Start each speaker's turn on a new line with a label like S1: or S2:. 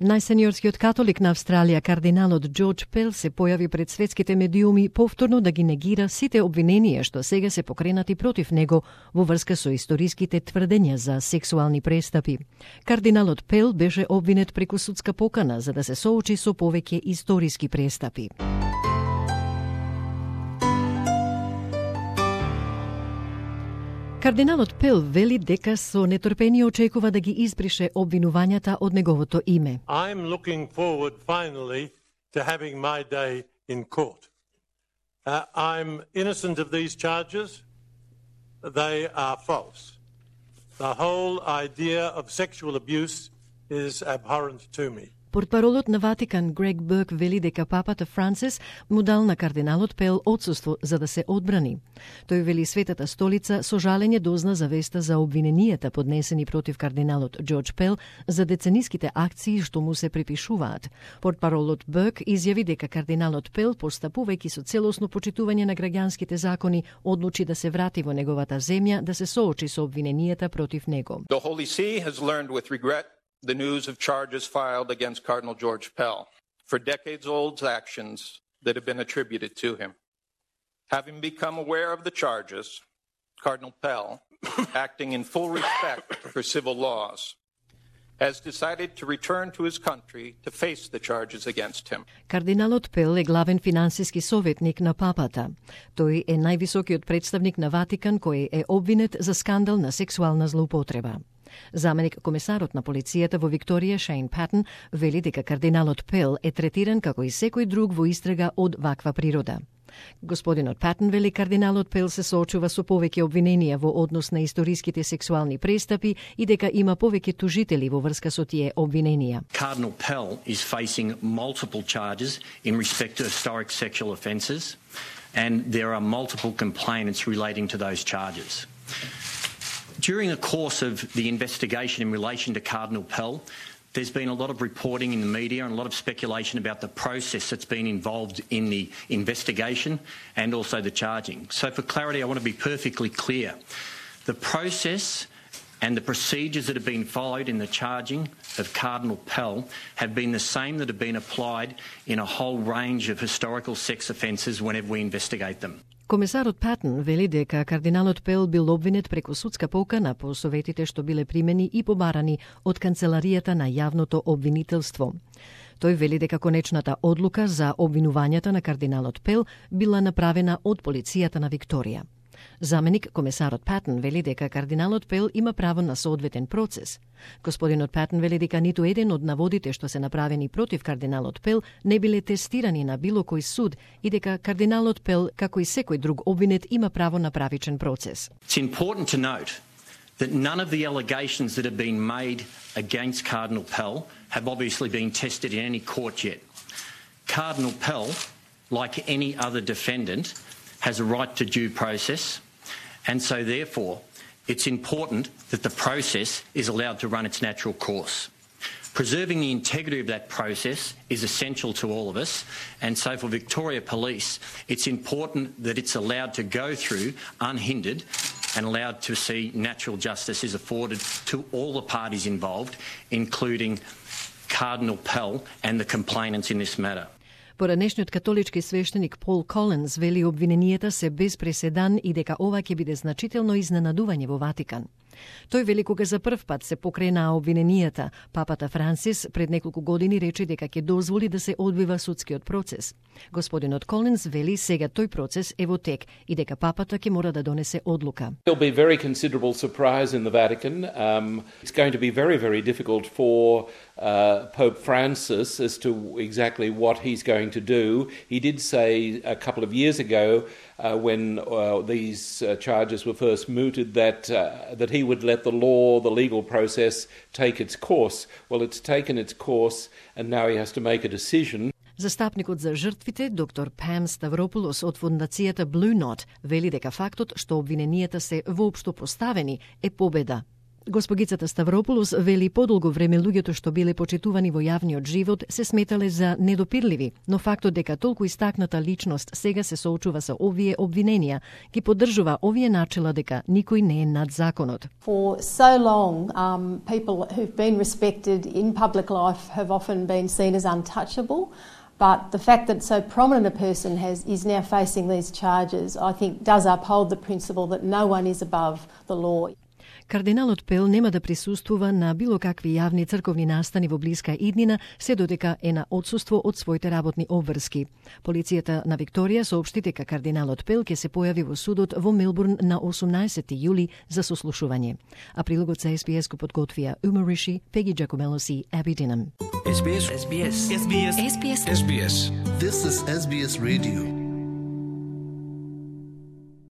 S1: Најсениорскиот католик на Австралија, кардиналот Джордж Пел, се појави пред светските медиуми повторно да ги негира сите обвиненија што сега се покренати против него во врска со историските тврдења за сексуални престапи. Кардиналот Пел беше обвинет преку судска покана за да се соочи со повеќе историски престапи. Кардиналот Пел вели дека со нетрпение очекува да ги избрише обвинувањата од неговото име.
S2: I'm looking forward finally to having my day in court. I'm innocent of these charges. They are false. The whole idea of sexual abuse is abhorrent to me.
S1: Портпаролот на Ватикан Грег Бърк вели дека папата Франсис му дал на кардиналот Пел отсуство за да се одбрани. Тој вели Светата столица со жалење дозна за веста за обвиненијата поднесени против кардиналот Джордж Пел за децениските акции што му се припишуваат. Портпаролот Бърк изјави дека кардиналот Пел, постапувајќи со целосно почитување на граѓанските закони, одлучи да се врати во неговата земја да се соочи со обвиненијата против него.
S3: The Holy See has learned with regret the news of charges filed against Cardinal George Pell for decades-old actions that have been attributed to him. Having become aware of the charges, Cardinal Pell, acting in full respect for civil laws, has decided to return to his country to face the charges against him.
S1: Кардиналот Пел е главен финансиски советник на папата. Тој е највисокиот представник на Ватикан кој е обвинет за скандал на сексуална злоупотреба. Заменик комесарот на полицијата во Викторија Шейн Патен вели дека кардиналот Пел е третиран како и секој друг во истрага од ваква природа. Господинот Патен вели кардиналот Пел се соочува со повеќе обвиненија во однос на историските сексуални престапи и дека има повеќе тужители во врска со тие обвиненија.
S4: Cardinal Pell is facing multiple charges in respect to historic sexual offences, and there are multiple complainants relating to those charges. During the course of the investigation in relation to Cardinal Pell, there's been a lot of reporting in the media and a lot of speculation about the process that's been involved in the investigation and also the charging. So for clarity, I want to be perfectly clear. The process and the procedures that have been followed in the charging of Cardinal Pell have been the same that have been applied in a whole range of historical sex offences whenever we investigate them.
S1: Комесарот Патен вели дека кардиналот Пел бил обвинет преку судска покана по советите што биле примени и побарани од канцеларијата на јавното обвинителство. Тој вели дека конечната одлука за обвинувањата на кардиналот Пел била направена од полицијата на Викторија. Заменик комесарот Патен вели дека кардиналот Пел има право на соодветен процес. Господинот Патен вели дека ниту еден од наводите што се направени против кардиналот Пел не биле тестирани на било кој суд и дека кардиналот Пел, како и секој друг обвинет, има право на правичен процес.
S4: It's important to note that none of the allegations that have been made against Cardinal Pell have obviously been tested in any court yet. Cardinal Pell, like any other defendant, has a right to due process, and so therefore it's important that the process is allowed to run its natural course. Preserving the integrity of that process is essential to all of us, and so for Victoria Police, it's important that it's allowed to go through unhindered and allowed to see natural justice is afforded to all the parties involved, including Cardinal Pell and the complainants in this matter.
S1: Поранешниот католички свештеник Пол Коленс вели обвиненијата се без преседан и дека ова ќе биде значително изненадување во Ватикан. Тој вели кога за прв пат се покренаа обвиненијата, папата Франсис пред неколку години рече дека ќе дозволи да се одвива судскиот процес. Господинот Коленс вели сега тој процес е во тек и дека папата ќе мора да донесе одлука.
S5: There'll be very considerable surprise in the Vatican. It's going to be very, very difficult for Pope Francis as to exactly what he's going to do. He did say a couple of years ago when these charges were first mooted that he would let the law, the legal process take its course. Well, it's taken its course and now he has to make a decision.
S1: Застапникот за жртвите, доктор Пам Ставропулос од фондацијата Blue Knot, вели дека фактот што обвиненијата се воопшто поставени е победа. Госпогицата Ставропулос вели подолго време луѓето што биле почитувани во јавниот живот се сметале за недопирливи, но фактот дека толку истакната личност сега се соочува со овие обвиненија ги поддржува овие начела дека никој не е над законот.
S6: For so long, people who've been respected in public life have often been seen as untouchable. But the fact that so prominent a person is now facing these charges, I think, does uphold the principle that no one is above the law.
S1: Кардиналот Пел нема да присуствува на било какви јавни црковни настани во блиска иднина, се додека е на отсуство од своите работни обврски. Полицијата на Викторија соопшти дека кардиналот Пел ќе се појави во судот во Мелбурн на 18 јули за сослушување. А прилогот за SBS го подготвија Ума Риши, Пеги Джакомелос и Аби Динам.
S7: SBS. SBS. SBS. SBS. SBS. This is SBS Radio.